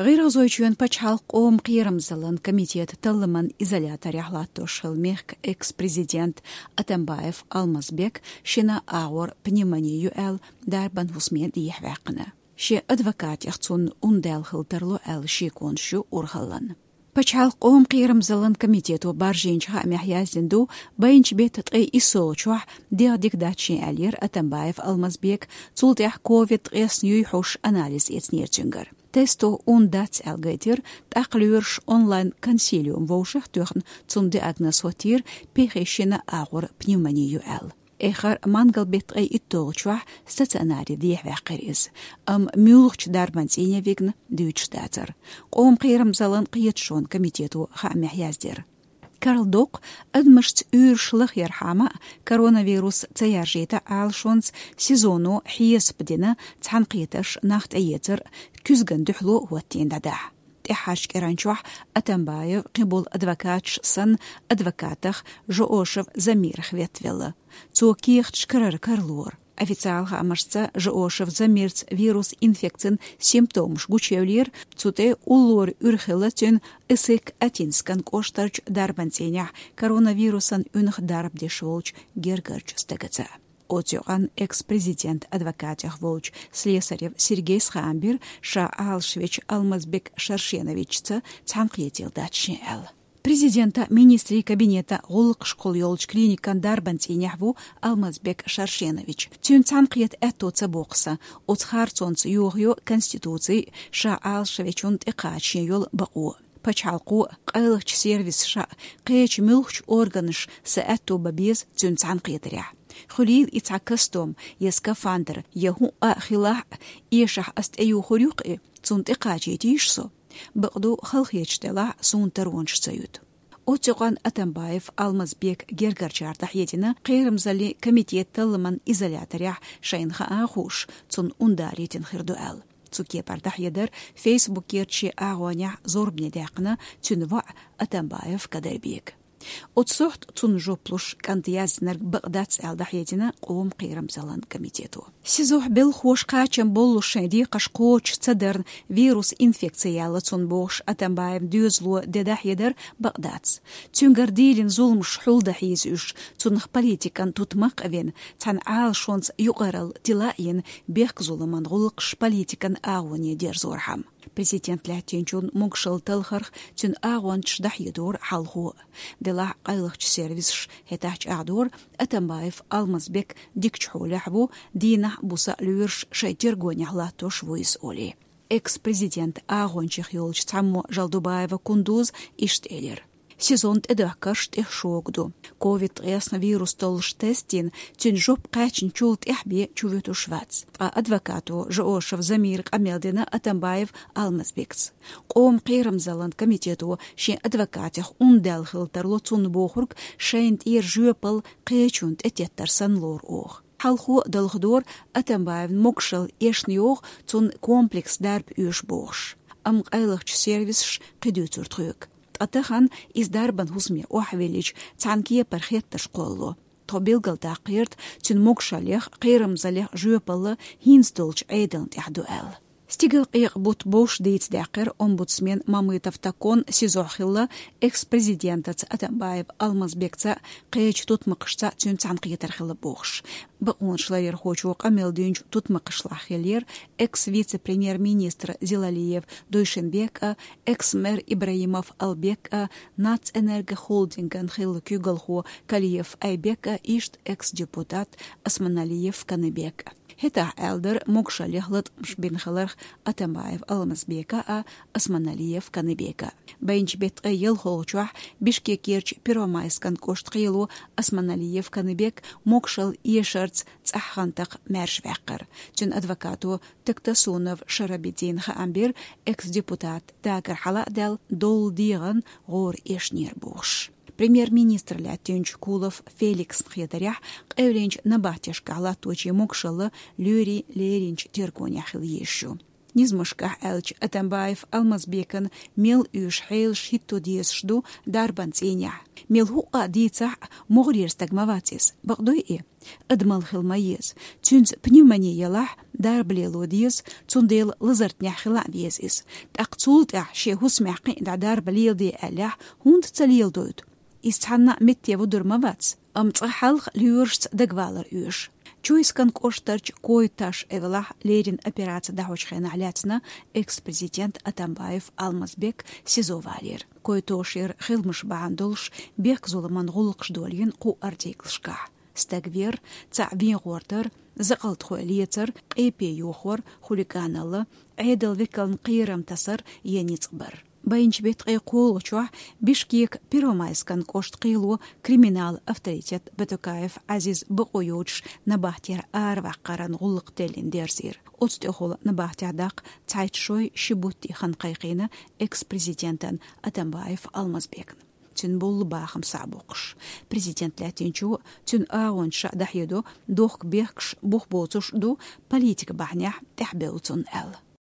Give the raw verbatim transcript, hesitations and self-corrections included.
ГӀиргӀазойчоьнан пачхьалкхан къоман кхерамзаллин комитетан талламан изоляторехь латтош хилла мехкан экс-президент Атамбаев Алмазбек шина агӀор пневмони ю аьлла, дарбан хӀусаме дехьаваьккхина. Шен адвокатех цунна ун даьлла хила тарло аьлла шеконаш ю урхаллан. Пачхьалкхан къоман кхерамзаллин комитето баржийначу хаамехь яздина ду, байначу беттан ткъе иссалгӀачохь дегӀ дика дац шен аьллера Атамбаев Алмазбека, цул тӀаьхьа ковид ткъаесна юй хьуш анализ эцнера цуьнгара. Тесто ун дац аьлла гайтира, тӀаккха лоьраш онлайн-консилиум вовшахтоьхна, цунна диагноз хӀоттийра пхи шина агӀор пневмони ю аьлла. Эххар мангал беттан ткъе итталгӀачохь стационаре дехьаваьккхира иза, амма муьлхачу дарбан цӀийне вигна дуьйцуш дацара. Къоман кхерамзаллин кхеташонан комитето хаамехь яздира. Карла доккху, адамашца уьйраш лахъярхьама а, коронавирус ца яржийта Ӏалашонца СИЗО-но хьесап дина цхьаьнакхетарш нах тӀеэцар куьзган дуьхьало хӀоттийна дӀадахьа. ТӀаьххьарчу кӀиранчохь Атамбаев кхин болу адвокаташ санна адвокатах Жоошев Замирах веттавелла. Цо кехаташ карара карлора. Официалан хаамашца Жоошев Замирца вирус инфекцин симптомаш гучуевлира, цу тӀе уллора уьйр хилла цуьнан Исык-Атинскан кӀоштарчу дарбан цӀийнехь коронавирусан уьнах дарба деш волчу гергарчу стагаца. Оцу юкъанна экс-президентан адвокатех волчу Слесарев Сергейс хаам бира, ша Ӏалашвечу Алмазбек Шаршеновичца цхьаьнакхетар дац шен аьлла. Президентан, министрийн кабинетан гӀуллакхашкахула йолчу клиникан дарбан цӀийнехь ву Алмазбек Шаршенович. Цуьнан цхьаьнакхета аьтто ца боккху сан, оцу харцонца йохайо Конституци а, ша Ӏалашвечунна тӀекхача шен йолу бакъо. Пачхьалкхо а, къайлахчу сервисаша а, кхечу муьлххачу органаша сан аьтто бан беза цуьнан цхьаьнакхетарехь. Хуьлийла и цхьа костюм я скафандр, я хӀуъа а хилахь а, эшахь ас тӀеюхур ю-кх и, цунна тӀекхачийтийша со. Бакъду, халахеташ делахь а, суна таронаш ца юьту. Оцу юкъанна Атамбаев Алмазбекан гергарчара дӀахьедина кхерамзаллин комитетан талламан изоляторехь, шайна хаа а хууш, цунна ун далийтина хир ду аьлла. Цу кепара дӀахьедар Фейсбукерчу шен агӀонехь зорбане даьккхина цуьнан воӀа Атамбаев Кадырбека. Оцу сохьта цунна жоп луш кӀанта яздинарг бакъ дац аьлла дӀахьедина къоман кхерамзаллин комитето. СИЗО-хь белхахоша кхачам боллуш шайн декхарш кхочуш ца дарна вирус инфекци яьлла цунна бохуш Атамбаевн доьзало де дӀахьедар бакъ дац. Цуьнгара дийлина зуламаш хьулдан хьийза уьш, цунах политикан тутмакх а вина, цхьана Ӏалашонца юкъаралла тила а йина, бехк-зуламан гӀуллакхаш политикан агӀоне дерзорхьама. Президент лаьттинчунна могушалла талхарх цуьнан агӀончаш дӀахьедора хьалхо а. Делахь а къайлахчу сервисаша хӀетахь чӀагӀдора, Атамбаев Алмазбек дикачу хьолехь ву, дийнахь а, буса а лоьраш шайн тергонехь латтош ву иза олий. Экс-президентан агӀончех йолчу цхьаммо Жалдубаева Кундуза иштта элира: СИЗО-н тӀедоьхкарш тӀех шога ду. Ковид ткъаесна вирус толлуш тест йина, цуьнан жоп кхаьчначул тӀаьхьа бен чувуьтуш вац. Ткъа адвокато Жоошев Замира къамел дина Атамбаев Алмазбекца. Къоман кхерамзаллин комитето шен адвокатех ун даьлла хила тарло цунна бохург шайна тӀера жоьпалла кхечунна тӀететтар санна лору оха. Хьалхо а далхадора, Атамбаевн могушалла эшна йогӀу, цунна комплекс дарба оьшу бохуш. Амма къайлахчу сервисаша кхин дуьйцура тхоьга. Ткъа тахана иза дарбан хӀусаме охьавиллича, цхьана кепара хеттарш кхоллало. Тхо билгалдаккха гӀерта цуьнан могушаллех, кхерамзаллех жоьпалла хӀинца долчу Ӏедална тӀехь ду аьлла. Стигалкъекъа бутт бовш дийца даьккхира омбудсмен Мамытов Токон СИЗО-хь хилла экс-президентаца Атамбаев Алмазбекца, кхечу тутмакхашца цуьнан цхьаьнакхетар хилла бохуш. Бакъонаш ларъярхочо къамел динчу тутмакхашлахь хиллера экс-вице-премьер-министр Зилалиев Дуйшенбек а, экс-мэр Ибраимов Албек а, Нацэнергохолдинган хилла куьйгалхо Калиев Айбек а, иштта экс-депутат Османалиев Каныбек а. ХӀетахь аьлла дара могушаллех латкъамаш бина хиларх Атамбаев Алмазбека а, Османалиев Каныбека а. Байначу беттан ткъе ялхалгӀачохь Бишкекерчу Первомайскан кӀоштан кхело Османалиев Каныбек могушалла эшарца цӀахь хан такха маьрша ваьккхира. Цуьнан адвокато Тактасунов Шарабидина хаам бира, экс-депутат дагар хьала а даьлла, доллу дегӀан гӀора эшнера бохуш. Премьер-министр лаьттинчу Кулов Феликсна хетарехь, къевлинчу набахтешкахь латточийн могушалла лоьрийн леринчу тергонехь хила езаш ю. Низамашкахь аьлча, Атамбаев Алмазбекан мел оьшу хьелаш хӀитто дезаш ду дарбан цӀийнехь. Мел хӀуъа а дийцахь а, могӀарера стаг ма вац иза, бакъ дуй и? Адамал хила ма еза. Цуьнца пневмони ялахь, дарба лело деза, цундела лазартнехь хила а веза иза. ТӀаккха цул тӀаьхьа шен хӀусамехь кхин а дӀа дарба леладе аьллехь, хӀунда ца леладойту? Иза цхьанна а метте вудур ма вац, амма цкъа хьалха лоьрашца дагавалар оьшу. Чуйскан кӀоштарчу Койташ эвлахь леррина операци дӀахьочу хенахь лаьцна экс-президент Атамбаев Алмазбек СИЗО валийра. Койтошера хиламаш бахьана долуш бехк-зуламан гӀуллакхаш долийна кху артиклашкахь. Стаг вер, цхьаъ вен гӀортар, закъалтхой лецар, къепе йохор, хулиганалла, Ӏедал векална кхерам тасар я ницкъ бар. Байначу беттан ткъе кхоалгӀачохь Бишкекан Первомайскан кӀоштан кхело криминал авторитет Батукаев Ӏазиз бакъо йоцуш набахтера араваккхаран гӀуллакх теллина дерзийра. Оцу тӀехула набахтехь даккха цхьайтта шой ши буттий хан кхайкхийна экс-президентан Атамбаев Алмазбекна. Цуьнан болу бахам схьа а боккхуш, президент лаьттинчо цуьнан агӀончаша дӀахьедо, дохка бехкаш бух боцуш ду, политика бахьанехь тӀаьхьабевлла цунна аьлла.